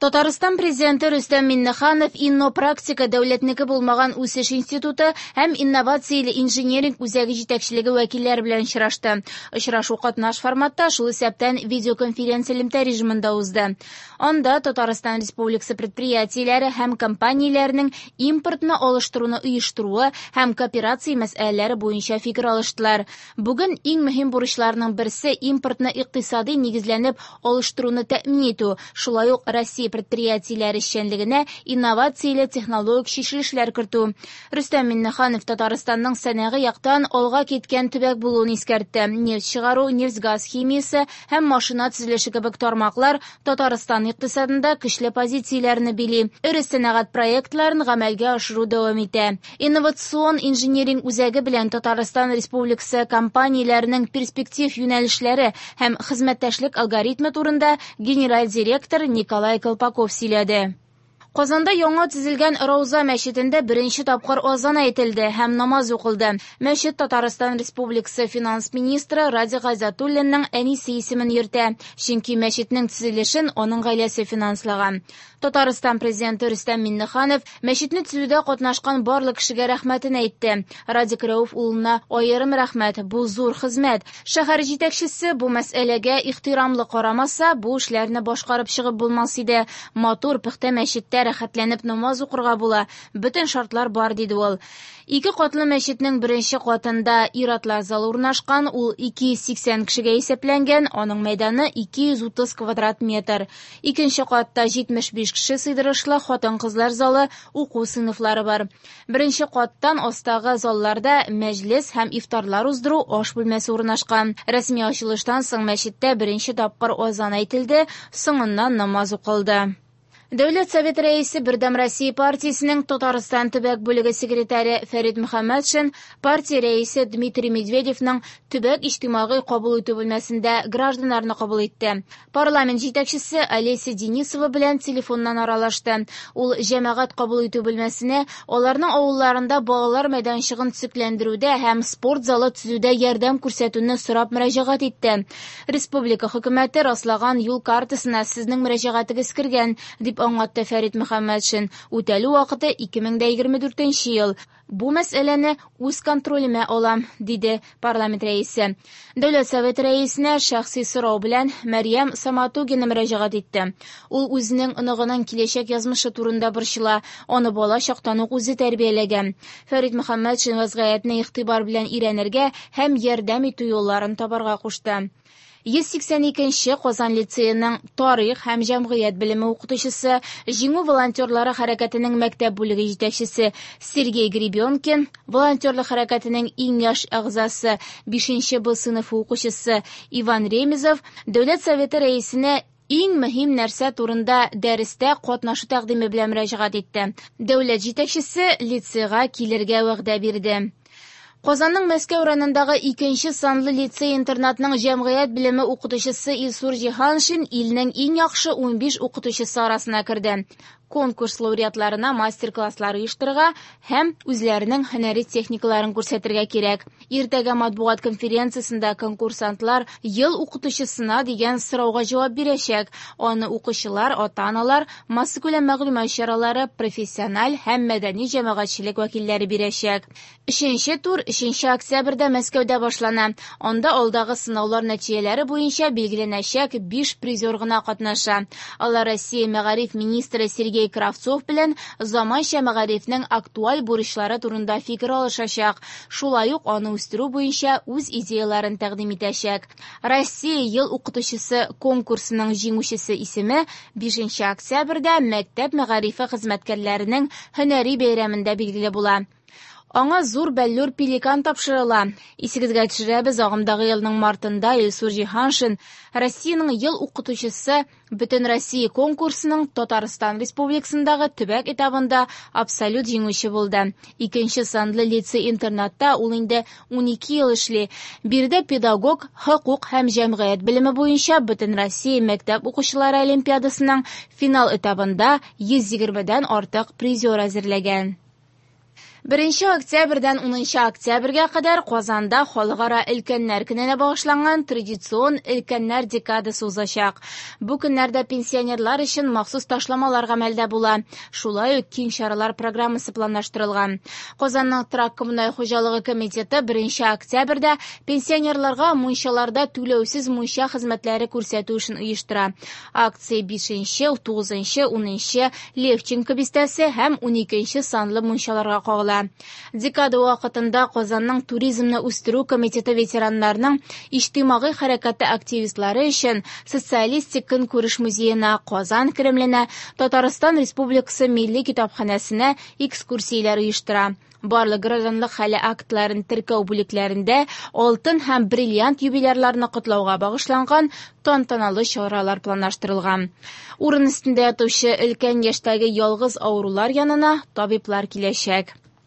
Татарстан Президенты Рөстәм Миңнеханов Иннопрактика дәүләтнеке булмаган үсеш институты һәм инновацияле инжиниринг үзәге җитәкчелеге вәкилләре белән очрашты. Очрашу катнаш форматта, шул исәптән видеоконференц-элемтә режимында узды. Анда Татарстан Республикасы предприятиеләре һәм компанияләренең импортны алыштыруны оештыруы һәм кооперация мәсьәләләре буенча фикер алыштылар. Бүген иң мөһим бурычларның берсе импортны икътисадый нигезләнеп алыштыруны тәэмин итү, шулай ук Россия предприятиеләре эшчәнлегенә инновацияле технологик чишелешләр кертү. Рөстәм Миңнеханов Татарстанның сәнәгый яктан алга киткән төбәк булуын искәртте. Нефть чыгару, нефть-газ химиясе һәм машина төзелеше кебек тармаклар Татарстан икътисадында көчле позицияләрне били. Эре сәнәгать проектларын гамәлгә ашыру дәвам итә. Инновацион инжиниринг үзәге белән Татарстан Республикасы компанияләренең перспектив юнәлешләре һәм хезмәттәшлек алгоритмы турында генераль директор Николай Колпаков сөйләде. Казанда яңа төзелгән Рауза мәчетендә беренче тапкыр азан әйтелде һәм намаз укылды. Мәчет Татарстан Республикасы финанс министры Радик Гайзатуллинның әнисе исемен йөртә, чөнки мәчетнең төзелешен аның гаиләсе финанслаган. Татарстан Президенты Рөстәм Миңнеханов мәчетне төзүдә катнашкан барлык кешегә рәхмәтен әйтте. Радик Рәүф улына аерым рәхмәт, бу зур хезмәт. Шәһәр җитәкчесе бу мәсьәләгә ихтирамлы карамаса, бу эшләрне башкарып чыгып булмас иде. Матур, пөхтә мәчеттә рәхәтләнеп намаз укырга була, бөтен шартлар бар, диде ул. Ике катлы мәчетнең беренче катында ир-атлар залы урнашкан, ул 280 кешегә исәпләнгән, аның мәйданы 230 квадрат метр. Икенче катта 75 кеше сыйдырышлы хатын-кызлар залы, уку сыйныфлары бар. Беренче каттан астагы залларда мәҗлес һәм ифтарлар уздыру аш бүлмәсе урнашкан. Рәсми ачылыштан соң мәчеттә беренче тапкыр азан әйтелде, соңыннан намаз укылды. Дәүләт Советы Рәисе Бердәм Россия партиясенең Татарстан төбәк бүлеге секретаре Фәрит Мөхәммәтшин партия рәисе Дмитрий Медведевның төбәк иҗтимагый кабул итү бүлмәсендә гражданнарны кабул итте. Парламент җитәкчесе Олеся Денисова белән телефоннан аралашты. Ул җәмәгать кабул итү бүлмәсенә аларның авылларында балалар мәйданчыгын төзекләндерүдә һәм спорт залы төзүдә ярдәм күрсәтүне сорап мөрәҗәгать итте. Республика хөкүмәте раслаган юл картасына сезнең мөрәҗәгатегез кергән, дип аңлатты Фәрит Мөхәммәтшин. Үтәлү вакыты 2024 ел. Бу мәсьәләне үз контролемә алам, диде парламент рәисе. Дәүләт Советы рәисенә шәхси сорау белән Мәрьям Саматугина мөрәҗәгать итте. Ул үзенең оныгының киләчәк язмышы турында борчыла, аны бала чактан ук үзе тәрбияләгән. Фәрит Мөхәммәтшин вазгыятьне игътибар белән өйрәнергә һәм ярдәм итү юлларын табарга кушты. 182 нче Казан лицееның тарих һәм җәмгыять белеме укытучысы, Җиңү волонтерлары хәрәкәтенең мәктәп бүлеге җитәкчесе Сергей Гребенкин, волонтерлык хәрәкәтенең иң яшь әгъзасы, 5 нче Б сыйныфы укучысы Иван Ремезов Дәүләт Советы рәисенә иң мөһим нәрсә турында дәрестә катнашу тәкъдиме белән мөрәҗәгать итте. Дәүләт җитәкчесе лицейга килергә вәгъдә бирде. Казанның Мәскәү районындагы икенче санлы лицей-интернатның җәмгыять белеме укытучысы Илсур Җиһаншин илнең иң яхшы 15 укытучысы арасына керде. Конкурс лауреатларына мастер-класслар оештырырга һәм үзләренең һөнәри техникаларын күрсәтергә кирәк. Иртәгә матбугат конференциясендә конкурсантлар ел укытучысына дигән сорауга җавап бирәчәк. Аны укучылар, ата-аналар, массакүләм мәгълүмат чаралары, профессиональ һәм мәдәни җәмәгатьчелек вәкилләре бирәчәк. Өченче тур 3 октябрьдә Мәскәүдә башлана. Анда алдагы сынаулар нәтиҗәләре буенча билгеләнәчәк 5 призер гына катнаша. Алар Россия мәгариф министры Сергей Кравцов белән заманча мәгарифнең актуаль бурычлары турында фикер алышачак. Шулай ук аны үстерү буенча үз идеяләрен тәкъдим итәчәк. Россия ел укытучысы конкурсының җиңүчесе исеме 5 октябрьдә мәктәп мәгарифе хезмәткәрләренең һөнәри бәйрәмендә билгеле була. Аңа зур бәллүр пеликан тапшырыла. Исегезгә төшерәбез, агымдагы елның мартында Илсур Җиһаншин Россиянең ел укытучысы Бөтенроссия конкурсының Татарстан Республикасындагы төбәк этабында абсолют җиңүче булды. Икенче санлы лицей-интернатта ул инде 12 ел эшли. Биредә педагог хокук һәм җәмгыять белеме буенча Бөтенроссия мәктәп укучылары олимпиадасының финал этабында 120дән артык призер әзерләгән. Беренче октябрьдән 10 октябрьгә кадәр Казанда Халыкара өлкәннәр көненә багышланган традицион Өлкәннәр декадасы узачак. Бу көннәрдә пенсионерлар өчен махсус ташламалар гамәлдә була. Шулай ук киң чаралар программасы планлаштырылган. Казанның торак-коммуналь хуҗалыгы комитеты 1 октябрьдә пенсионерларга мунчаларда түләүсез мунча хезмәтләре күрсәтү эшен оештыра. Акция 5, 9, 10 Левченко бистәсе һәм 12 санлы мунчаларга кагыла. Декада вакытында Казанның туризмны үстерү комитеты ветераннарының иҗтимагый хәрәкәте активистлары өчен Социалистик көнкүреш музеена, Казан Кремленә, Татарстан Республикасы Милли китапханәсенә экскурсияләр оештыра. Барлык гражданлык хәле актларын теркәү бүлекләрендә алтын һәм бриллиант юбилярларны котлауга багышланган тантаналы чаралар планлаштырылган. Урын өстендә ятучы өлкән яшьтәге ялгыз авырулар янына табиблар киләчәк.